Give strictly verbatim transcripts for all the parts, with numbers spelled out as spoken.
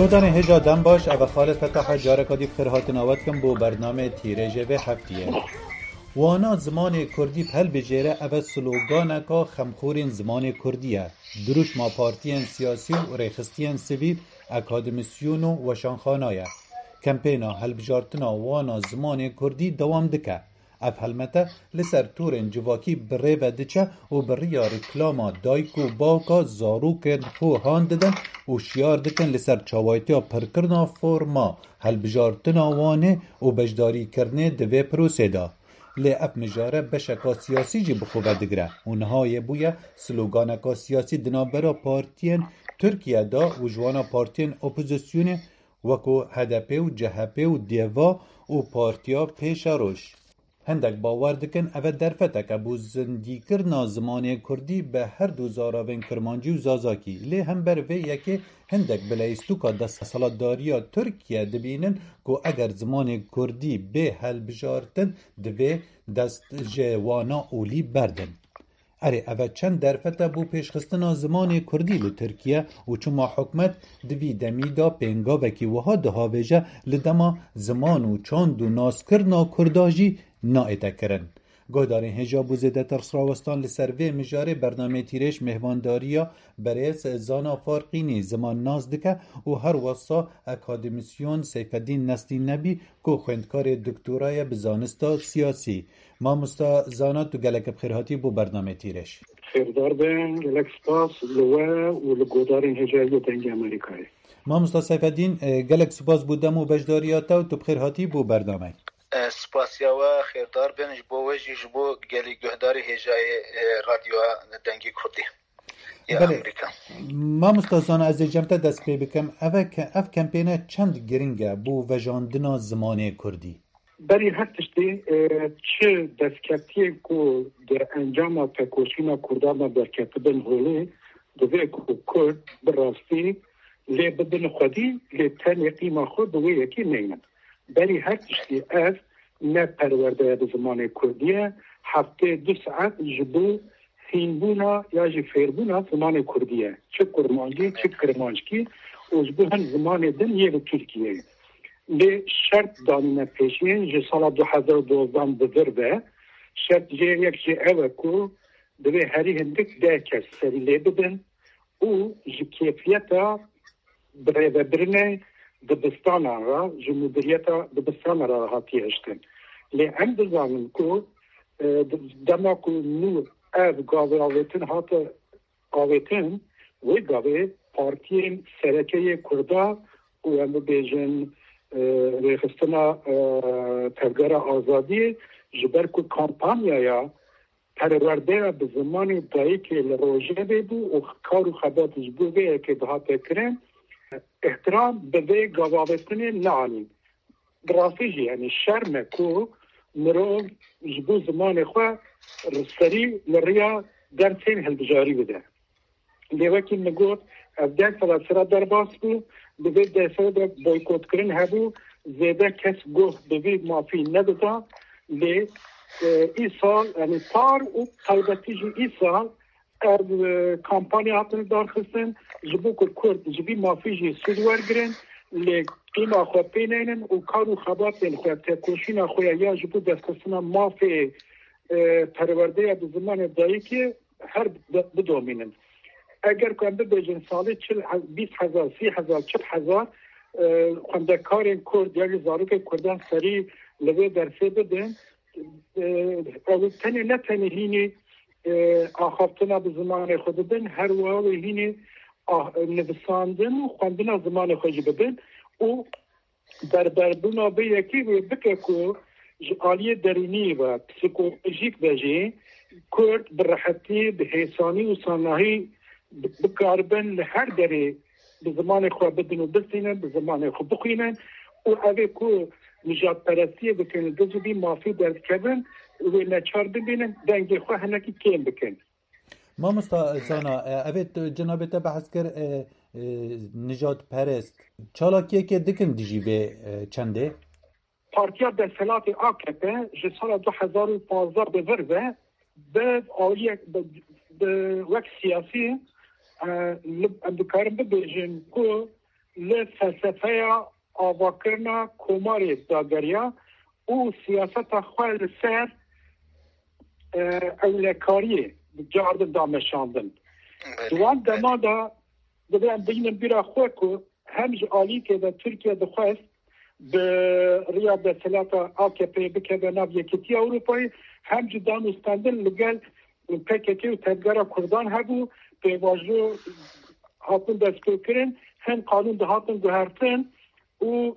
Guhdarên hêja dem baş, ev e Xalid Fetah e, careka dî bi xêr hatina we dikim bo bernameyê Tîrêjê vê heftiyê. Wana zimanê kurdî bi helbijêre, ev e sloganeka xemxorên zimanê kurdî ye. Dirûşma partiyên siyasî û rêxistiyên sivîl, akademîsyon û weşanxana ye. Kempêna helbijartina wana zimanê kurdî dewam dike. Ev helmete li ser torên civakî bi rê ve diçe û bi riya reklama dayik û bawka zarokên xwe han didin û şiyar dikin li ser çawaytiya pirkirina forma helbijartina wanê û beşdarîkirinê di vê prosê de. Lê ev mijare beşeka siyasî jî bi xwe ve digire û niha yê bûye sloganeka siyasî di navbera partiyên Tirkiye de û ji wana partiyên opozisyonê wekû H D P û C H P û DEVA û Partiya Pêşeroj. Hindek bawer dikin ev e derfetek e bo zindîkirina zimanê kurdî bi her du zaravên kirmancî û zazakî. Lê hember vê yekê hindek bi leyîstûka desthilatdariya Tirkiye dibînin ku eger zimanê kurdî bê helbijartin, divê dest ji wana olî berdin. Erê, ev e çend derfet e bo pêşxistina zimanê kurdî li Tirkiye û çima hikûmet di vî demî de pêngavekî wiha dihavêje, li dema ziman û çand û naskirina kurda jî naête kirin. Guhdarên hêja bo zêdetir rawestan li ser vê mijarê bernameyê Tîrêj mêhvandariya berêz Zana Farqînî zimannaz dike û her wesa akademîsyon Seyfeddîn Neslî Nebî ku xwendkarê doktora ye bi zanista siyasî. Mamosta Zana, tu gelek bi xêr hatî bo bernameyê Tîrêj. Xêrdar be, gelek spas li we û li guhdarên hêja yê Dengê Amerîkayê. Mamosta Seyfeddîn, e, gelek spas bo dem û beşdariya te û tu bi xêr hatî bo bernameyê. E, spasiya we, xêrdar bin ji bo we jî, ji bo gelî guhdarê hêjayê, e, Radyoya Dengê Kurdî ya Belê. Amerîka. Mamosta Zana, ez ê cem te dest pê bikim. Ev e ke-, ev kempêne çend giring e bo vejandina zimanê kurdî? Berî her tiştî, e, çi destkeftiyên ku di encama tekoşîna kurdan de derketibin holê, divê ku kurd bi rastî lê bibin xwedî, lê tenê qîma xwe bi wê yekê neynin. Berî her tiştî ev ne perwerde ye bi zimanê kurdî ye, heftê du saet ji bo hînbûna ya jî fêrbûna zimanê kurdî ye. Çi kurmancî, çi kirmanckî û ji bo hin zimanê din yê li Tirkiyeyê. Lê şert danîne pêşiyên ji sala du hezar û dozdan bi vir ve, şert jê yek jî ew e ku divê herî hindik deh kes serî lê bibin û ji kêfiyeta birêvebirinê dibistanan re, ji mudiriyeta dibistanan re hatiye hiştin. Lê em dizanin ku, e, dema ku nû ev gavê avêtin hate avêtin, wê gavê partiyên sereke yê Kurda û em bibêjin, e, rêxistina, e, Tevgera Azadiyê ji ber ku kampanyaya perwerdeya bi zimanê dayikê li rojevê bû û kar û xebat ji bo vê yekê dihate kirin, îhtiram bi vê gavavêtinê neanîn. Bi rastî jî, yanî şerm e ku mirov ji bo zimanê xwe serî li riya dersên hilbijarî bide. Lê wekî min got, ev ders li sera derbas bû, di vê dersa de boykotkirin hebû, zêde kes guh bi vî mafî nedida. Lê, e, îsal, yanî par û taybetî jî îsal ev, e, kampanya hatin darxistin, ji bo ku Kurd ji vî mafî jî sûd wergirin, lê qîma xwe pê neynin û kar û xebatên xwe, tekoşîna xwe ya, ya ji bo destxistina mafê, e, perwerdeya bi zimanê dayikê her bi-, bidomînin. Eger ku em bibêjin salê çil he-, bîst hezar, sî hezar, çil hezar, e, xwendekarên Kurd ya jî zarokên Kurdan serî li vê dersê bidin, e, ew tenê ne tenê hînî, e, axaftina bi zimanê xwe bibin, her wiha wê hînî ah-, nivîsandin û xwendina zimanê xwe jî bibin û berberbûna vê yekê wê bike ku ji aliyê derûnî ve, psîkolojîk ve jî Kurd bi rehetî, bi hêsanî û sanahî bi-, bikaribin li her derê bi zimanê xwe bidin û bistînin, bi zimanê xwe bixwînin û ev ê ku nijadperestiyê dikin, li dijî vî mafî derdikevin, wê neçar bibînin, dengê xwe hinekî kêm bikin. Mamosta Zana, e, ev ê tu, cenabê te behs kir, e, e, nijadperest. Çalakiyekê dikin dijî vê, e, çendê? Partiya desthilatê A K P ji sala du hezar û pazdeh bi vir ve bi aliyek, bi, bi wek siyasî, e, li, em dikarin bibêjin ku li felsefeya avakirina komarê dageriya û siyaseta xwe li ser, e, ewlekariyê cardin da meşandin. Belê, Di wan belê. dema de divê em bihînin bîra xwe ku hem ji alîkê de Tirkiye dixwest bi riya desthilata A K P'yê bikeve nav Yekîtiya Ewropayê, hem jî danûstendin li gel P K K û tevgera Kurdan hebû, pêvajo hatin destpêkirin, hin qanûn dihatin guhertin û,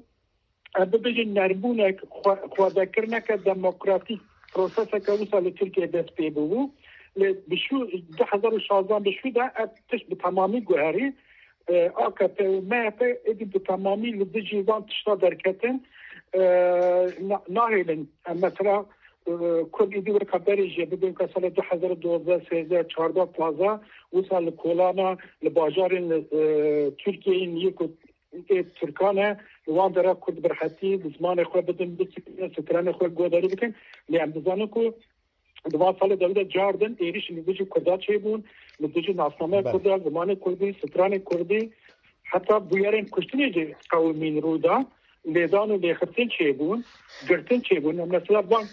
em bibêjin, nermbûnek, xwe-, xwedekirneke demokratîk proseseke wisa li Tirkiyeyê dest pê bûbû. Lê bi şû, du hezar û şazdehan bi şû de ev tişt bi temamî guherî. E, A K P û M H P êdî bi temamî li dijî van tişta derketin. E, na-, nahêlin. Em mesela, e, Kurd êdî weka berê jî bibin, weka sala du hezar û dozdeh, sêzdeh, çardeh, pazdeh, wisa li kolana, li bajarên, e, Tirkiyeyê yên ku ê Tirkan e, li wan dera Kurd bi rehetî li zimanê xwe bidin, bisikin, stranê xwe guhdarî bikin. Lê em dizanin ku di van salê de wî de cardin êrîş li dijî Kurda çêbûn, li dijî nasnameya Belê. Kurda, zimanê Kurdî, stranê Kurdî, heta bûyerên kuştinê jî qewimîn rû da, lêdan û lêxistin çêbûn, girtin çêbûn. Mesela van,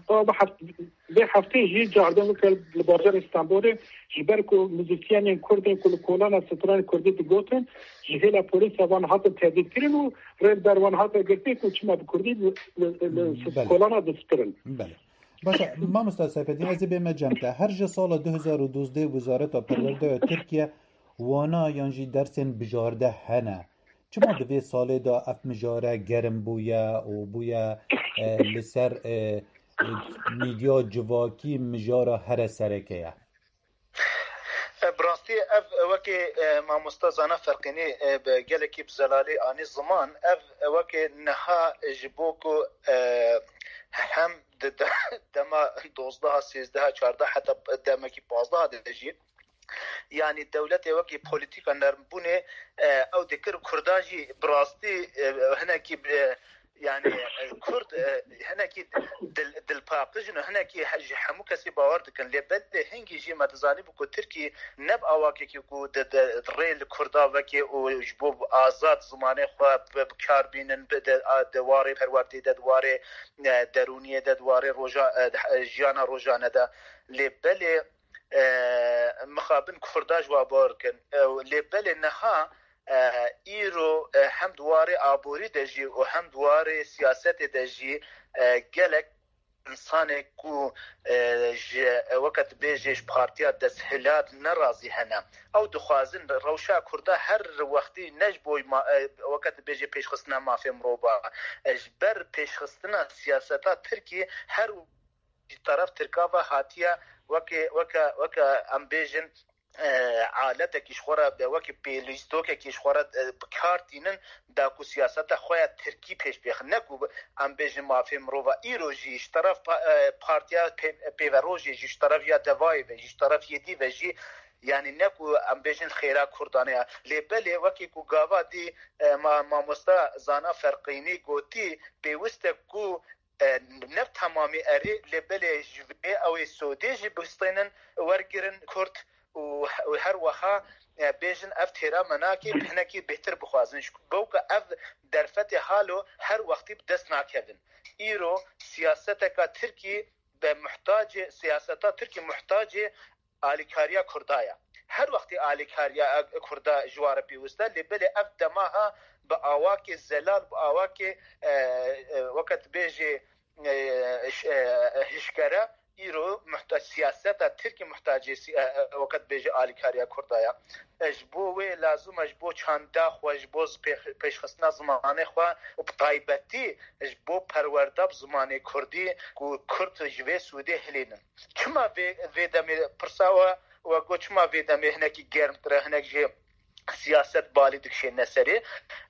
va bi heft-, vê heftê jî cardin weke li bajarê Stenbolê, ji ber ku muzîsyenên Kurd ên ku li kolana stranê Kurdî digotin, ji hêla polîsa van hatin tehdîtkirin û rê li ber wan hate girtin ku çima bi Kurdî li, li, li Belê. kolana dispirin. Belê. Baş e, mamosta Seyfeddîn, ez ê bême cem te. Her ji sala du hezar û duzdeh Wezareta Perwerdeya Tirkiye wana yan jî dersên bijarde hene. Çima di vê salê de ev mijare germ bûye û bûye, e, li ser, e, e, medya civakî mijara here sereke ye? E, bi rastî ev, e, wekî, e, mamosta Zana Ferqînî, e, bi gelekî bi zelalî anî ziman, ev, e, wekî niha ji bo ku, e, hem di de-, dema dozdeh, sêzdeh, çardeh, heta demekî pazdeh de jî, yanî dewletê wekî polîtîka nermbûnê, e, ew dikir Kurda jî bi rastî, e, hinekî, e, yanî, e, Kurd, e, hinekî dil-, dilpaqij in û hinekî he-, ji hemû kesî bawer dikin. Lê belê hingî jî me dizanîbû ku Tirkî ne bi awakekî ku di, di rê li Kurda veke û ji bo azad zimanê xwe bi, bi kar bînin, bi, di, a, di warê perwerdê de, di warê, e, derûniyê de, di warê roja, e, jiyana rojane de. Lê belê, e, mixabin Kurda ji wa bawer kin. E, lê belê niha, e, îro, e, hem di warê aborî de jî û hem di warê siyasetê de jî, e, gelek insanê ku, e, ji, e, weke dibêjê ji partiya desthilat nerazî hene. Ew dixwazin rewşa Kurda her wextî ne ji bo ma-, e, weke dibêjê pêşxistina mafê mirova, e, ji ber pêşxistina siyaseta Tirkî her ji teref Tirka ve hatiye weke, weke, weke em bêjin, e, aletekî ji xwe re, weke pêlîstokekî ji xwe re, e, bi kar tînin, da ku siyaseta xwe ya Tirkî pêş bêxin. Ne ku em bêjin mafê mirova. Îro jî ji teref pa-, e, partiya pê-, pêverojê jî, ji teref ya Devayê ve jî, ji teref yê dî ve jî, yanî ne ku em bêjin xêra Kurdan e. Lê belê wekî ku gava dî, e, ma-, mamosta Zana Ferqînî gotî, pêwist e ku e, ne bi temamî erê, lê belê ji vê ew ê sodê jî bistênin, wergirin Kurd û, û her wiha, e, bêjin ev têra me nake, bi hinekî bêhtir bixwazin. Ji bo ku ev derfetê halo her wextî bi dest nakevin. Îro siyaseteka Tirkî be muhtacê, siyaseta Tirkî muhtacê alîkariya Kurda ye. Her wextî alîkariya Kurda ji wa re pêwist e, lê belê ev dema ha bi awakê zelal, bi awakê, e, e, weke dibêjê, e, ş-, e, hişkere, îro muhta-, siyaseta Tirkî muhtacê si-, e, e, weke dibêjê alîkariya Kurda ye. E, ji bo wê lazim e, ji bo çanda xwe, ji bo pêx-, pêşxistina zimanê xwe û bi taybetî ji bo perwerda bi zimanê Kurdî ku Kurd ji vê sûdê hilênin. Çima vê, vê demê pirsa we, we got, çima vê demê hinekî germtir e, hinek jê siyaset balî dikişêne serê?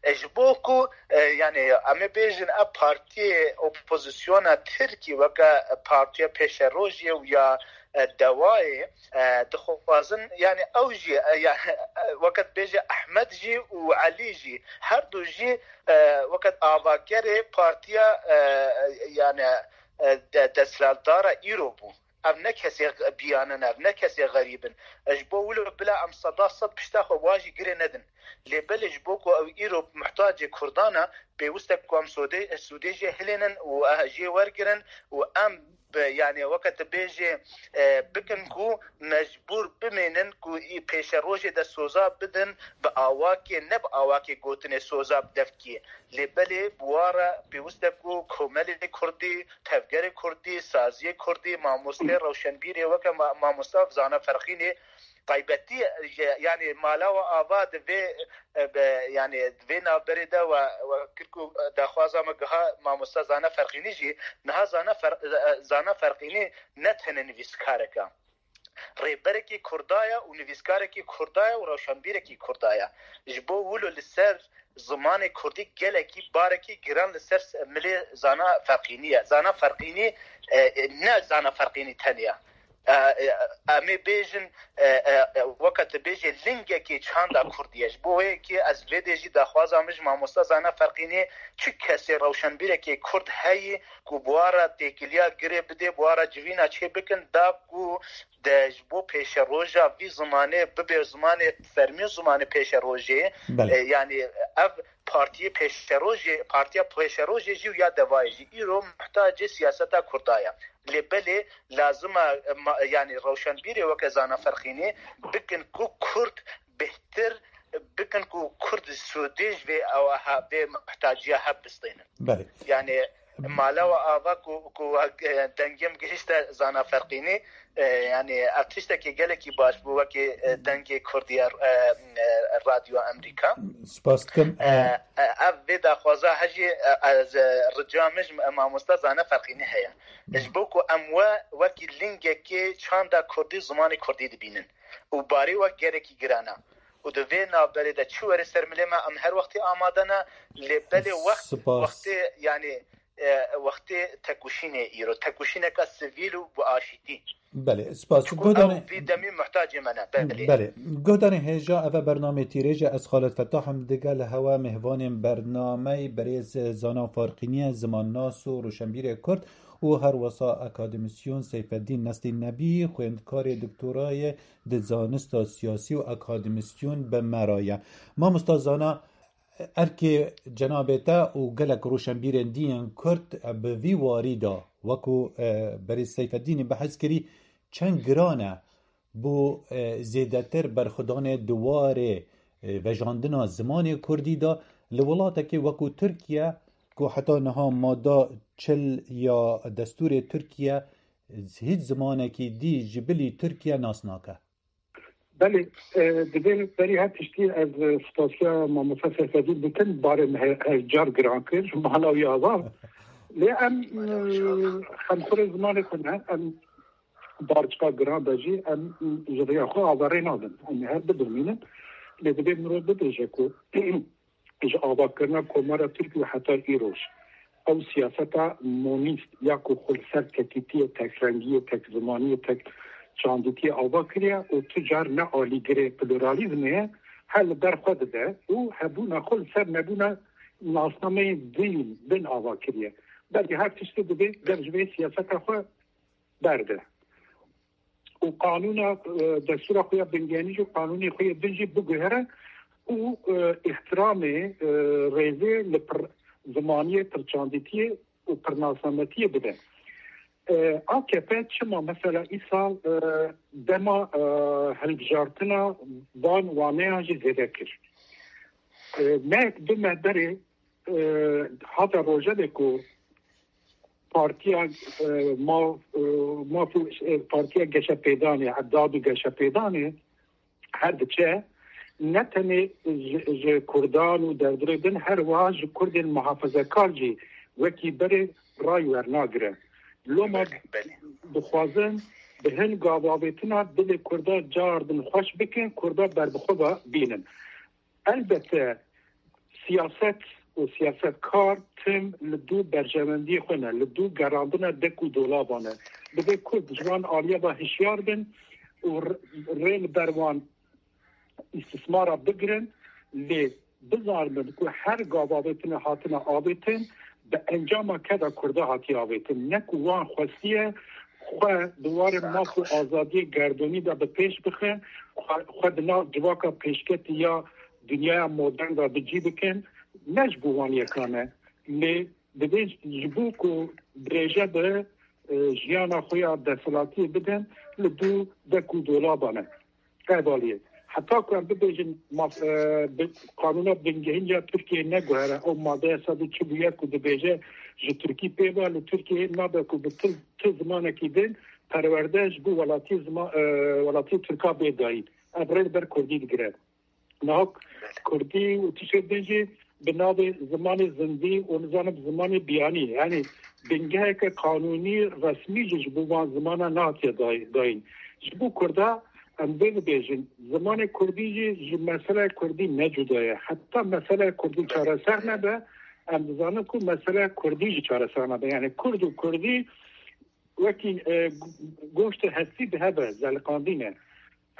E, ji bo ku, e, yanî, em ê bêjin, ev partiyê opozisyona Tirkî weke partiya pêşerojê û ya, e, Dewayê, e, dixwazin, yanî, ew jî, e, ya, e, weke dibêje Ehmed jî û Elî jî, her du jî, e, weke avakerê partiya, e, yanî, e, de-, desthilatdara îro bû. Ev ne kesê biyanin, ev ne kesê xerîb in. Ji bo wilo bila em seda sed pişta xwe wan jî girê nedin. Lê belê ji bo ku ew îro muhtacê Kurdan e, pêwist e ku em sodê, sûdê jê hilênin û, eh, jê wergirin û em bi, yani weke tu bêjê, eh, bikin ku mecbûr bimênin ku î pêşerojê de soza bidin bi awakê, ne bi awakê gotinê soza bi devkî. Lê belê bi wa re pêwist e ku komelê kurdî, tevgerê kurdî, saziyê kurdî, mamostê, rewşenbîrê weke ma-, mamosta Zana Ferqînê taybetî, e, yanî mala we ava di vê, e, be, yanî di vê navberê de we, we kir ku, e, daxwaza me giha mamosta Zana Ferqînî jî, niha Zana Fer-, e, Zana Ferqînî ne tenê nivîskarek e. Rêberekî Kurda ye û nivîskarekî Kurda ye û rewşenbîrekî Kurda ye. Ji bo wilo li ser zimanê kurdî gelekî barekî giran li ser milê Zana Ferqînî ye. Zana Ferqînî, e, e, ne Zana Ferqînî tenê ye. E, e, em ê bêjin, e, e, e, weke tu bêjê lingekê çanda kurdî ye. Ji bo wê yekê ez vê dê jî daxwaza min ji mamosta Zana Ferqînî, çi kesê rewşenbîrekê kurd heyî ku bi wa re têkiliya girê bidê, bi wa re civîna çê bikin, da ku de ji bo pêşeroja vî zimanê bibe zimanê fermî û zimanê pêşerojê. Belê. E, yanî ev partiyê pêşerojê, partiya pêşerojê jî û ya devayê jî îro muhtacê siyaseta kurda ye. Lê belê lazim e, ma-, yanî rewşenbîrê weke Zana Ferqînê bikin ku kurd bêhtir, bikin ku kurd sûdê ji vê ew he, vê muhtaciya hev bistênin. Belê. Yanî mala we ava ku, ku, e, dengê min gihişte Zana Ferqînî, e, yanî ev tiştekî gelekî baş bû wekî, e, dengê kurdî ye, e, e, Radyo Amerîka. Spas dikim. E, e, ev vê daxwaza hejî, e, ez, e, rica min ji mamosta Zana Ferqînî heye. Ji bo ku em we wekî lingekê çanda kurdî, zimanê kurdî dibînin. Û barê we gelekî giran e. Û di vê navberê de çi were ser milê me, em her wextî amade ne, lê belê wext, Spas. Wextê, yanî, e, wextê tekoşînê îro, tekoşîneka sivîl û bi aşîtî. Belê, spas. Çiku Guhdarê ew vî demî muhtacê me ne. Belê. Belê. Guhdarê hêja, eve bernamê Tîrêj e, ez Xalid Fetah im, digel hewe mêhvanên bernameyê berêz Zana Farqînî ye, zimannas û rûşenbîrê Kurd û her wesa akademîsyon Seyfeddîn Neslî Nebî, xwendkarê doktorayê di zanista siyasî û akademîsyon bi me re ye. Mamosta Zana, erkê cenabê te û gelek rûşenbîrên dî yên Kurd bi vî warî de, wekû, e, berêz Seyfeddînî behs kirî, çend giran e bo, e, zêdetir berxwedanê di warê, e, vejandina zimanê kurdî de li welatekê wekû Tirkiye, ku heta niha mada çil ya destûrê Tirkiye hîç zimanekî dî ji bilî Tirkiye nas nake. Belê, e, divê berî her tiştî ez, e, spasiya mamosta Seyfedîn bikim, barê min he-, her car giran kir, mala wî ava. Lê em, e, xemxurê zimanê xwe ne, em barçika giran be jî, em ji riya xwe averê nadin. Em ê her bidirmînin. Lê divê mirov bibêje ku ji avakirina Komara Tirk û heta îroj ew siyaseta monîst ya ku xwe li ser tekîtiyê, tekrengiyê, tekzimaniyê, tek çandîtiyê ava kiriye û tu car ne alîgirê pluralîzmê ye, her li ber xwe dide û hebûna xwe li ser nebûna nasnameyên din, din ava kiriye. Belkî her tiştê divê ger ji vê siyaseta xwe berde. Û qanûna, e, destûra xwe ya bingenî jî û qanûnê xwe yê din jî biguhere û, e, îhtiramê, e, rêzê li pir zimaniyê, pirçandîtiyê û pirnasnametiyê bide. E, A K P çima mesela îsal, e, dema, e, hilbijartina van waneyan jî zêde kir? E, mehek du meh berê, e, hate rojevê ku Partiya, e, Maf, e, Maf û, e, Partiya Geşepêdanê, Dad û Geşepêdanê her diçe, ne tenê ji, ji Kurdan û derdorê din, her wiha ji Kurdên muhafezekar jî wekî berê ray wernagire. Loma Belê, belê. Dixwazin bi hin gavavêtina dilê Kurda cardin xweş bikin, Kurda berbixwe ba-, bînin. Elbette siyaset û siyasetkar tim li dû berjewendiyê xwe ne, li dû gerandina dek û dolaba ne. Divê Kurd ji wan aliya ve hişyar bin û r-, rê li ber wan îstismara bigirin, lê bizanibin ku her gavavêtine hatine avêtin, bi encama keda Kurda hatiye avêtin. Ne ku wan xwestiye xwe di warê maf û azadiyê gerdonî de bi pêş bixin, xwe, xwe di nav civaka pêşketî ya dinyaya modern de bi cî bikin, ne ji bo wan yekan e. Lê divê ji bo ku dirêje bi, e, jiyana xwe ya desthilatiyê bidin, li dû dek û dolaba ne. Hevaliyê. Heta ku em bibêjin maf-, e, bi, qanûna bingehîn ya Tirkiyeyê neguhere, ew madeya sed û çil û yek ku dibêje ji Tirkî pê ve, li Tirkiyeyê nabe ku bi tu, tu zimanekî din perwerde ji bo welatî zima-, e, welatî Tirka bê dayîn. Ev rê li ber Kurdî digire. Niha Kurdî û tiştê din jî bi navê zimanê zindî û nizanim zimanê biyanî, yanî bingeheke qanûnî resmî jî ji bo van zimana nehatiye day-, dayîn. Ji bo Kurda em vê dibêjin, zimanê Kurdî jî ji meseleya Kurdî ne cuda ye. Heta meseleya Kurdî çareser nebe, em dizanin ku meseleya Kurdî jî çareser nebe. Yanî Kurd û Kurdî wekî, e, goştê hestî bi hev e, zeliqandî ne.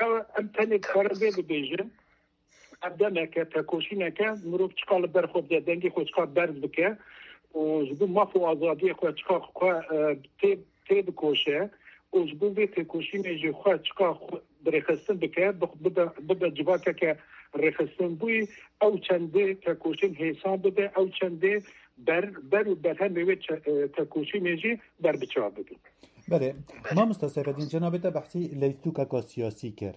Ew, em tenê dikarin vê bibêjin, ev demeke, tekoşîneke, mirov çiqa li ber xwe bide, dengê xwe çiqa berz bike û ji bo maf û azadiyê xwe çiqa xwe, e, tê, tê bikoşe û ji bo vê têkoşînê jî xwe çiqa xwe bi rêxistin bike, bi, bibe, bibe civakeke rêxistinbûyî, ew çendê tekoşîn hêsan bibe, ew çendê ber, ber û berhemê wê çe-, e, tekoşînê jî berbiçav bibe. Belê, mamosta Seyfedîn, cenabê te behsî leyîstûkeka siyasî kir.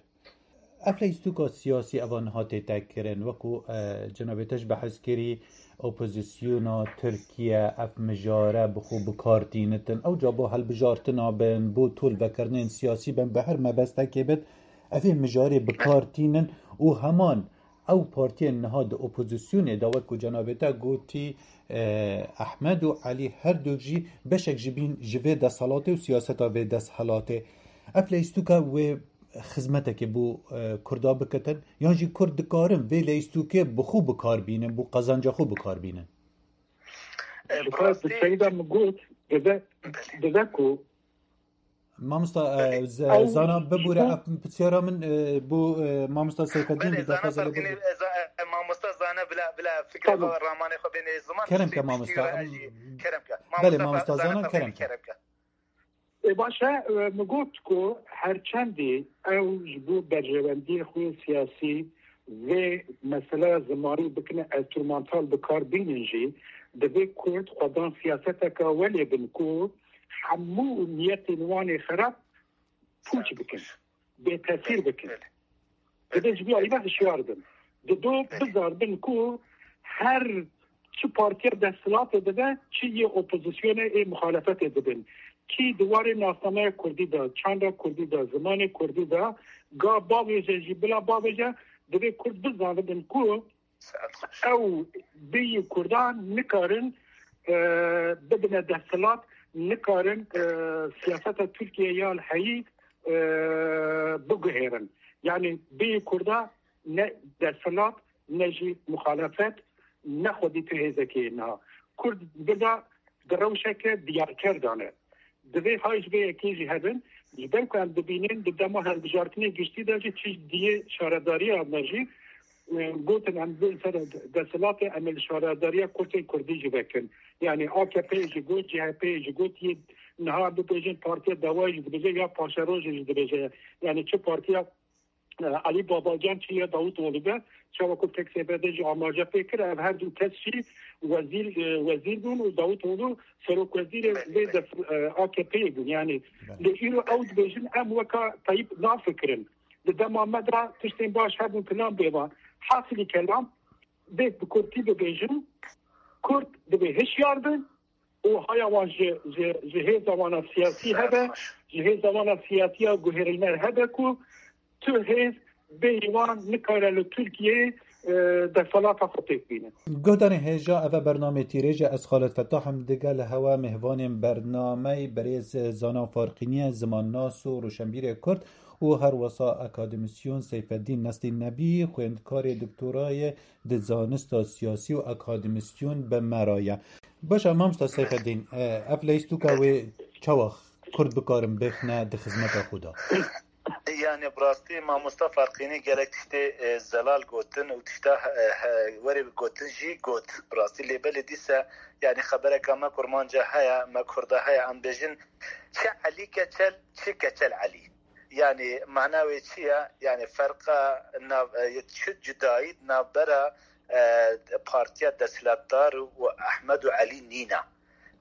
Ev leyîstûka siyasî eva niha tête kirin, wekû, e, cenabê te jî behs kirî, opozisyona Tirkiye ev mijare bi xwe bi kar tînitin. Ew ca bo hilbijartina bin, bo tolvekirinên siyasî bin, bi her mebestekê bit, ev ê mijarê bi kar tînin û heman ew partiyên niha di opozisyonê de, wekû cenabê te gotî, e, Ehmed û Elî her du jî beşek ji bîn ji vê desthilatê û siyaseta vê desthilatê. Ev leyîstûka wê xizmetekê bo, e, Kurda bikitin, yan jî Kurd dikarin vê leyîstûkê bi xwe bi kar bînin, bo qazanca xwe bi kar bînin? E, Ji bi xwe rastî, di seyda min got, dibe, belê, dibe ku Mamosta, e, Belê. Z-, Ew Zana, bibûre, ji bo ev pisyara min, e, bo, e, mamosta Seyfeddîn Belê, bi Zana daxwaza lê Farqînî, bibûre. E, Za-, e, mamosta Zana bila, bila fikra Tamam. xwe, ramanê xwe bêne ziman, Kerem ke, tiştê mamosta, piştî were em, jî, kerem ke. Belê, Mamosta mamosta Fa-, Zana, Zana kerem Farqînî ke. kerem ke. E, baş e, e, min got ku her çendî ew ji bo berjewendiyê xwe siyasî vê meseleya zimanî bikine enstrûmantal bi kar bînin jî, divê Kurd xwedan siyaseteke welê bin ku hemû niyetên wan ê xerab pûç bikin, bêtesîr bikin. Belê. Divê ji vî alî ve hişyar bin. Dido bizar bin ku her çi partiya desthilatê dibe, çi yê opozisyonê ê muxalefetê dibin. Kî di warê nasnameya kurdî de, çanda kurdî de, zimanê kurdî de, ga bavêje jî bila bavêje, divê kurd bizanibin ku ew bêyî kurdan nikarin, e, bibine desthilat, nikarin, e, siyaseta Tirkiye ya li heyî, e, biguhêrin. Yanî bêyî kurda ne desthilat, ne jî muxalefet, ne xwedî tu hêzekê ye niha. Kurd bida di rewşeke diyarker de ne. Divê hay ji vê yekê jî hebin, ji ber ku em dibînin di dema hilbijartinê giştî de jî çi diyê şaredariya me jî, e, gotin em bên ser desthilatê, em ê li şaredariya kurtên kurdî jî vekin. Yanî A K P jî got, C H P jî got, yê niha bibêjin Partiya Dawayê jî dibêje ya Paşerojê jî dibêje. Yanî çi partiya e, Elî Babacan çi ya Davutoğlu be, çawa ku P K S B'de jî amaje pê kir, ev her du kes jî wezîr, e, wezîr bûn û Davutoğlu serokwezîrê Belê, vê belê. def-, e, A K P'yê bûn. Yanî Belê. lê îro ew dibêjin em weka Tayyip nafikirin. Di dema me de tiştên baş hebûn filan bêvan. Hasilî kelam, bê bi kurtî bibêjin, Kurd divê hişyar bin, û haya wan ji, ji, ji hêza wana siyasî hebe, ji hêza wana siyasiya guherîner hebe ku tu hêz bêyî wan nikare li Tirkiyeyê, e, desthilata xwe pêk bîne. Guhdarên hêja, eve bernamê Tîrêj e, ez Xalid Fetah im, digel hewe mêvanên bernameyê berêz Zana Farqînî ye, zimannas û rûşenbîrê Kurd û her wesa akademîsyon Seyfeddîn Neslî Nebî, xwendkarê doktorayê di zanista siyasî û akademîsyon bi me re ye. Baş e, mamosta Seyfeddîn, e, ev leyîstûka wê çawa Kurd bikarin bêxine di xizmeta xwe de? Ê, Yani bi rastî mamosta Ferqînî gelek tiştê e, zelal gotin û tişta e, he, werê gotin jî got bi rastî. Lê belê dîse yani xebereka me kurmanca heye, me kurda heye, em bêjin çi Elî Keçel, çi Keçel Elî. Yani mana wê çi ye? Yani ferqa nav, e, çi cudayî navbera e, partiya desthilatdar û Ehmed û Elî nîne.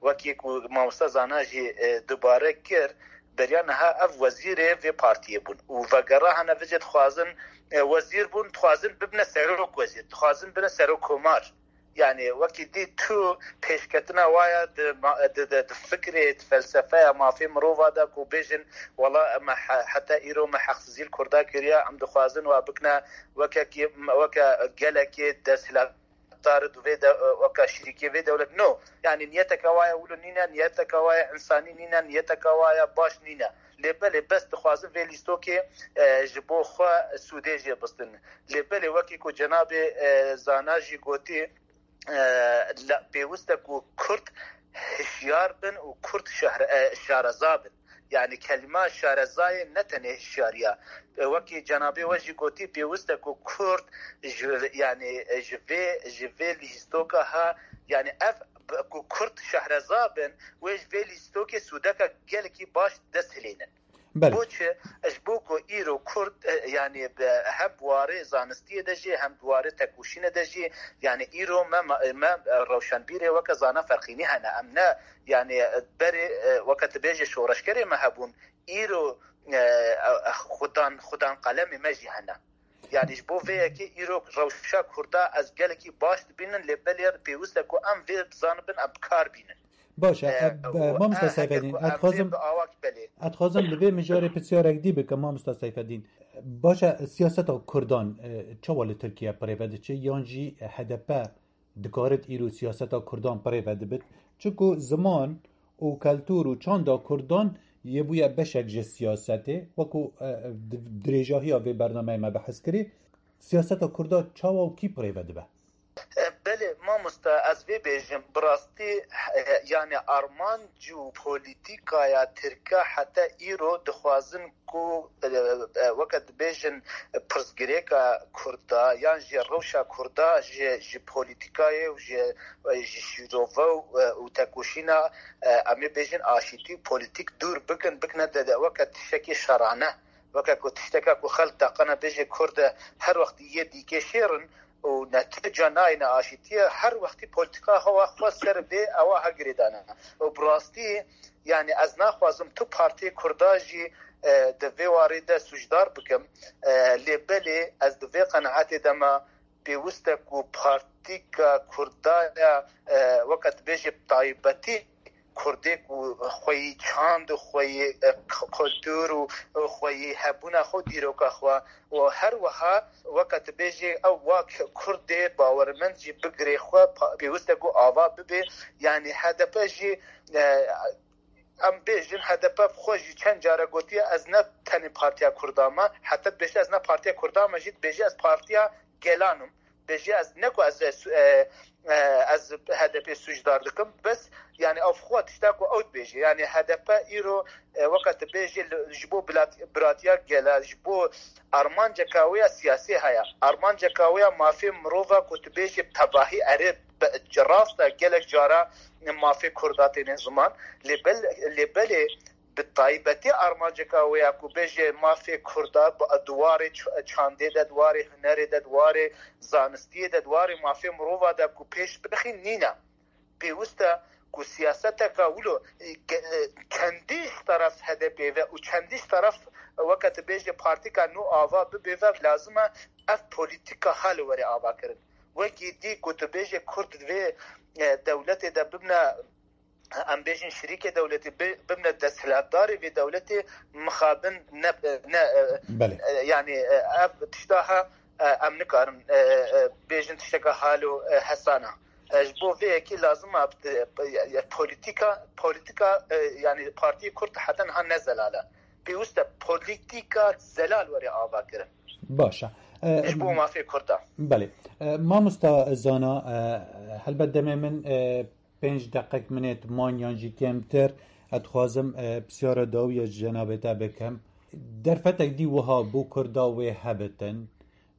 Wekî ku mamosta Zana jî e, dubare kir, beriya niha ev wezîrê vê partiyê bûn û vegera hene vêcê dixwazin e, wezîr bûn, dixwazin bibine serok wezîr, dixwazin bibine serokkomar. Yani wekî dî tu pêşketina waya di, ma- di, di, di fikrê, di felsefeya mafê mirova de ku bêjin, wela em he- heta îro me heqsizî li Kurda kiriye, em dixwazin wa bikine wekekî, weke gelekê desthilat tar di vê de, weke şirîkê vê dewlet. No. Yani niyeteke waya wilo nîne, niyeteke waya insanî nîne, niyeteke waya baş nîne. Lê belê bes dixwazin vê lîstokê e, ji bo xwe sûdê jê bistin. Lê belê wekî ku cenabê e, Zana jî gotî, e, la- pêwist e ku Kurd hişyar bin û Kurd şehre, e, şareza bin. Yani kelîma şarezayê ne tenê hişyariya. E, wekî cenabê we jî gotî, pêwist e ku Kurd ji, yani, e, ji vê, ji vê lîstoka ha, yani ev b- ku Kurd şehreza bin, wê ji vê lîstokê sûdeka gelekî baş dest hilênin. Belê. Bo çi? Ji bo ku îro Kurd, e, yani bi- hem di warê zanistiyê de jî, hem di warê tekoşînê de jî, yani îro me, me, me rewşenbîrê weke Zana Ferqînî hene. Em ne, yani berê, e, weke tu bêjê şoreşgerê me hebûn, îro e, e, xudan, xudan qalemê me jî hene. Yani ji bo vê yekê îro rewşa Kurda ez gelekî baş dibînin, lê belê pêwist e ku em vê bizanibin, em bi kar bînin. Baş e, E, e, û mamosta e, heke Seyfedîn, ku ez em vê dixwazim, bi awak belê. Ez dixwazim li vê mijarê pisyarek dî bikim, mamosta Seyfedîn. Baş e, siyaseta Kurdan e, çawa li Tirkiye bi rê ve diçe, yan jî H D P dikarit îro siyaseta Kurdan bi rê ve dibit? Çiku ziman û keltûr û çanda Kurdan yê bûye beşek ji siyasetê, wekû e, di- dirêjahiya vê bernameyê me behs kirî, siyaseta Kurda çawa û kî bi rê ve dibe? E, belê mamosta, ez vê bêjim, bi rastî, e, yani armanc û polîtîkaya Tirke heta îro dixwazin ku, e, e, weke dibêjin pirsgirêka Kurda yan jî rewşa Kurda ji, ji polîtîkayê û ji, ji şîrove û, e, û tekoşîna, e, em ê bêjin aşîtî û polîtîk dûr bikin, bikine de, de weke tiştekî şerane, weke ku tişteka ku xelk daqene bêje Kurd e, her wextî yê dîkê şêr in û netîca nayêne aşîtiyê, her wextî polîtîka hewa xwe ser vê ewa ha girêdane. Û bi rastî, yani ez naxwazim tu partiyê Kurda jî, e, di vê warê de sûcdar bikim. E, lê belê ez di vê qenaetê de me, pêwist e ku partîka Kurda ya, e, weke dibêje bi taybetî Kurdê ku xweyî çand û xweyî, e, k-, kultur û xweyî hebûna xwe, dîroka xwe û her wiha weke tu bêjê ew wa k-, Kurdê bawermend jî bigirê xwe pa-, pêwist e ku ava bibe. Yani H D P jî, e, em bêjin H D P bi xwe jî çend care gotiye, ez ne tenê partiya Kurda me, heta dibêje ez ne partiya Kurda me jî dibêje ez partiya gelan im. Bêje ez ne ku ez, ez, e, e, ez H D P sûcdar dikim, bes yani ev xwe tişta ku ew dibêje. Yani H D P îro, e, weke tu bêjî li- ji bo bilat- biratiya gela, ji bo armanceka wê ya siyasî heye. Armanceka wê ya mafê mirova ku tu bêjî bi tebahî erê bi- rast e gelek cara mafê Kurda têne ziman. Lê bel- lê belê bi taybetî armanceka wê ya ku bêje mafê Kurda bi- di warê ç- çandê de, di warê hunerê de, di warê zanistiyê de, di warê mafê mirova de ku pêş bixîn nîne. Pêwist e ku siyaseteka wilo, e, ge- e, çendî ji teref H D P ve û çendî ji teref weke tu bêje partîka nû ava bibe ve, lazim e ev polîtîka ha li were ava kirin. Wekî dî ku tu bêje Kurd di vê, e, dewletê de bibne, em bêjin şirîkê dewletê, bi- bibne desthilatdarê vê dewletê, mixabin ne, ne, e, Belê. e, yani, e, ev tişta ha, e, em nikarin, e, e, bêjin tişteka halo, e, hesana. E, ji bo vê yekê lazim e, e, e, polîtîka, polîtîka, e, yani partiyê Kurd heta niha ne zelal e. Pêwist e polîtîka zelal were ava kirin. Baş e. E, Ji bo mafê Kurda. Belê. E, mamosta Zana, e, helbet demê min, e, pênc deqek minêt man yan jî kêmtir. Ez dixwazim, e, pisyara dawiya ji cenabê te bikim. Derfetek dî wiha bo Kurda wê hebitin,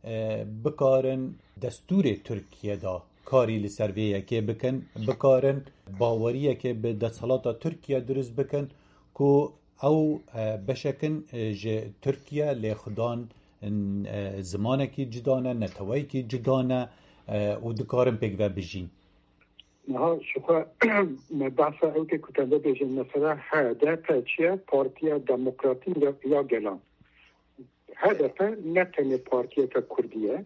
e, bikarin destûrê Tirkiye de karî li ser vê yekê bikin, bikarin baweriyekê bi desthilata Tirkiye dirust bikin ku ew, e, beşek in, e, ji Tirkiye, lê xudan, e, zimanekî cuda ne, neteweyekî cuda ne, e, û dikarin pêk ve bijîn. Niha ji xwe me behsa ew tê ku te bibêjin, mesela H D P çi ye? Partiya Demokratîk ya, ya Gelan. H D P ne tenê partiyeke Kurdî ye.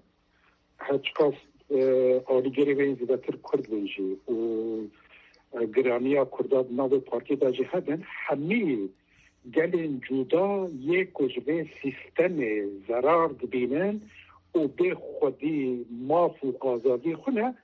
Her çiqas, e, alîgirê wê yên zêdetir Kurd bin jî û, e, giraniya Kurda di nav vê partiyê de jî hebin, hemî gelên cuda yê ku ji vê sîstemê zerar dibînin û bê xwedî maf û azadiyê xwe ne,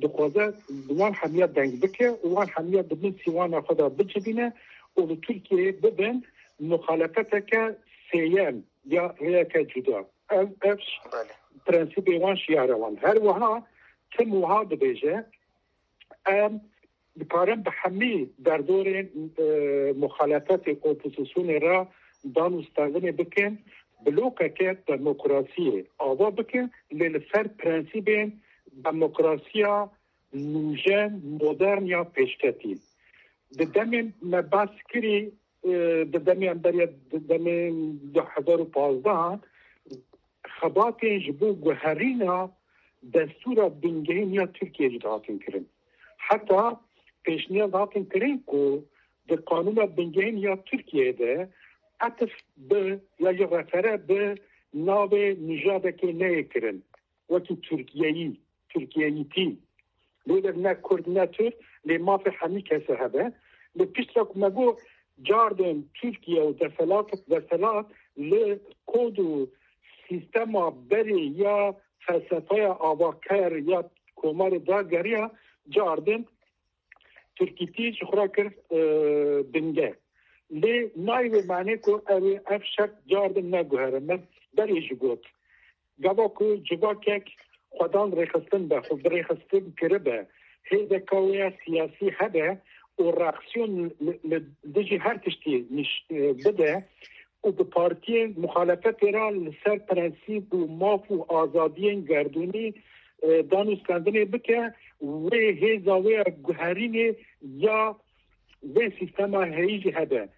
dixwaze wan hemiya deng bike û wan hemiya di bin sîwana xwe de bicivîne û li Tirkiyeyê bibin muxalefeteke sêyem ya rêyeke cuda. Ev, ev Belê. Prensîbê wan, şiyara wan. Her wiha tim wiha dibêje, em dikarin bi hemî derdorên, e, muxalefetê, opozîsyonê re dan û standinê bikin, blokeke demokrasiyê ava bikin, lê li ser prensîbên demokrasiya nûjen, modern ya pêşketî. Di demên me behs kirî, e, di demê em beriya di demên du hezar û pazdeh, xebatên ji bo guherîna destûra bingehîn ya Tirkiyeyê jî dihatin kirin. Heta pêşniyaz dihatin kirin ku di qanûna bingehîn ya Tirkiyeyê de etif bi ya jî refere bi navê nijadekê neyê kirin, wekî Tirkiyeyî, Tirkiyeyîtî. Lê de ne Kurd ne Tirk, lê mafê hemî kesê hebe. Lê piştre ku me got, cardin Tirkiye û deselat, deselat li kod û sîstema berê ya felsefeya avaker ya komarê dageriya, cardin Tirkîtî ji xwe re kir, e, binge. Lê nayê wê manê ku ew ê ev şert cardin neguhere. Me berê jî got. Gava ku civakek xwedan rêxistin be, xwe bi rêxistin kiribe, hêzeka wê ya siyasî hebe û reaksiyon li, li dijî her tiştî niş-, e, bide û bi partiyên muxalefetê re li ser prensîp û maf û azadiyên gerdûnî, e, dan û standinê bike, wê hêza wê ya guherînê ya vê sîstema heyî jî hebe.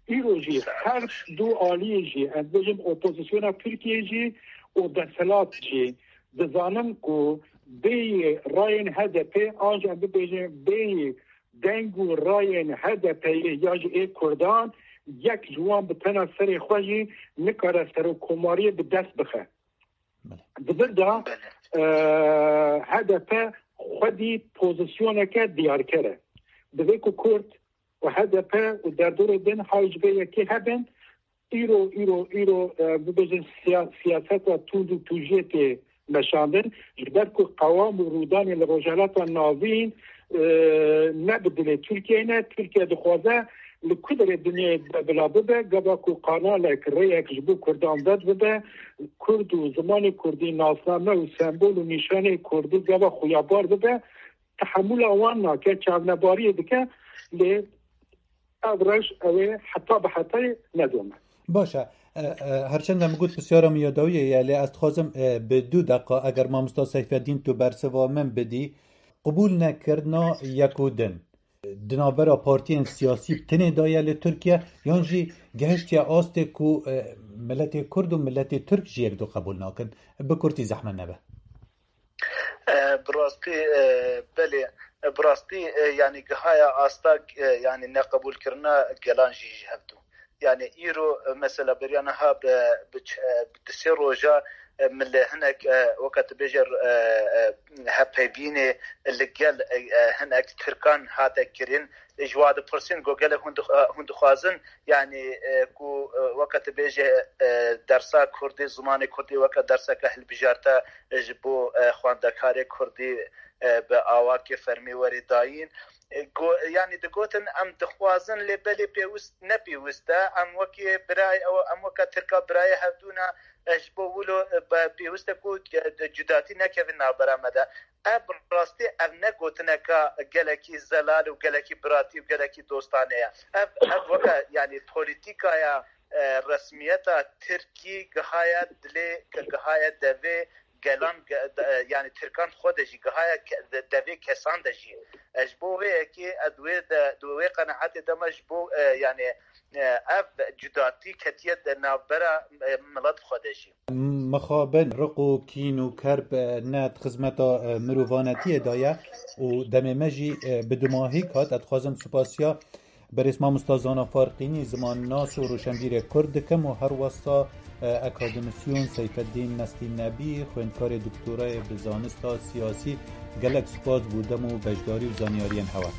Îro jî her du aliyê jî, em bêjin opozisyona Tirkiyeyê jî û desthilat jî dizanin ku bêyî rayên H D P an jî em bibêjin bêyî deng û rayên H D P'yê ya jî ê Kurdan, yek ji wan bi tena serê xwe jî nikare serokkomariyê bi dest bixe. Belê. Di vir de, Belê. e, H D P xwedî pozisyoneke diyarker e. Divê ku Kurd û H D P û derdorê din hay ji vê yekê hebin, îro, îro, îro, e, bibêjin siya-, siyaseta tund û tûjiyê tê meşandin. Ji ber ku qewam û rûdanê li Rojhilata Navîn, e, ne bi dilê Tirkiyeyê ne. Tirkiye dixwaze li ku derê dinyayê de bila bibe, gava ku kanalek, rêyek ji bo Kurdan vedbibe, Kurd û zimanê Kurdî nasname û sembol û nîşanê Kurdî gava xuyabar bibe, tehemûla wan nake, çavnebariyê dike, lê ev rewş ew ê heta bi hetayê nedome. Baş e. E, e, her çend em got pisyara min ya dawiyê ye, lê ez dixwazim, e, bi du deqa, eger mamosta Seyfeddîn tu bersiva min bidî, qebûl nekirina yek û din di navbera partiyên siyasî bi tinê de ye li Tirkiye, yan jî gehiştiye astê ku, e, miletê Kurd û miletê Tirk jî yek du qebûl nakin? Bi kurtî zehmet nebe. E, bi rastî, e, belê, e, bi rastî, e, yanî gihaya asta, e, yanî neqebûlkirina gelan jî ji hev du. Yanî îro, e, mesela beriya niha bi, bi ç-, e, bi du sê roja, e, min li hinek, e, weke tu bêje, e, e, hevpeyvînê li gel, e, e, hinek Tirkan hate kirin. Ji wa dipirsîn, got gelek hûn dix-, e, hûn dixwazin, yanî, e, ku, e, weke tu bêje, e, dersa Kurdî, zimanê Kurdî weke derseke hilbijarte, e, ji bo, e, xwendekarê Kurdî, e, bi awakê fermî were dayîn. E, go-, yanî digotin, em dixwazin, lê belê pêwist, ne pêwist e. Em wekî birayê, ew, em weke Tirka birayê hevdû ne, e, ji bo wilo, e, be-, pêwist e ku, e, cudatî nekevin navbera me de. Ev bi rastî ev ne gotineka gelekî zelal û gelekî biratî û gelekî dostane ye. Ev, ev weke, yanî, polîtîkaya e, resmiyeta Tirkî gihaye dilê, ke gihaye devê gelan, ge-, de-, yani Tirkan xwe de jî gihaye ke-, de-, devê kesan de jî. Ez ji bo vê yekê, ez wê de, di wê qenaetê de me ji bo, e, yani, e, ev cudatî ketiye de navbera, e, milet xwe de jî. Mixabin riq û kîn û kerb, e, ne di xizmeta, e, mirovanetiyê de ye û demê me jî, e, bi dumahîk hat. Ez dixwazim supasiya berêz mamosta Zana Farqînî, zimannas û roşenbîrê Kurd dikim û her wesa, e, akademisyon Seyfeddîn Nestî Nebî, xwendkarê doktorayê bi zanista siyasî, gelek spas bo dem û beşdarî û zanyariyên hewe.